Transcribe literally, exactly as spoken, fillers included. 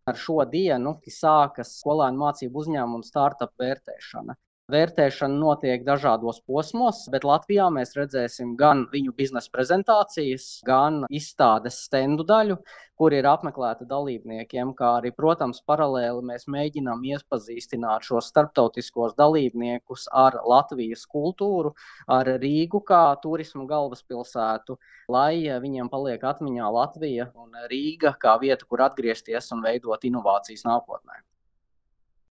Ar šo dienu sākas skolēnu mācību uzņēmumu startup vērtēšana. Vērtēšana notiek dažādos posmos, bet Latvijā mēs redzēsim gan viņu biznesa prezentācijas, gan izstādes stendu daļu, kur ir apmeklēta dalībniekiem, kā arī, protams, paralēli mēs mēģinām iepazīstināt šos starptautiskos dalībniekus ar Latvijas kultūru, ar Rīgu kā turismu galvaspilsētu, lai viņiem paliek atmiņā Latvija un Rīga kā vieta, kur atgriezties un veidot inovācijas nākotnē.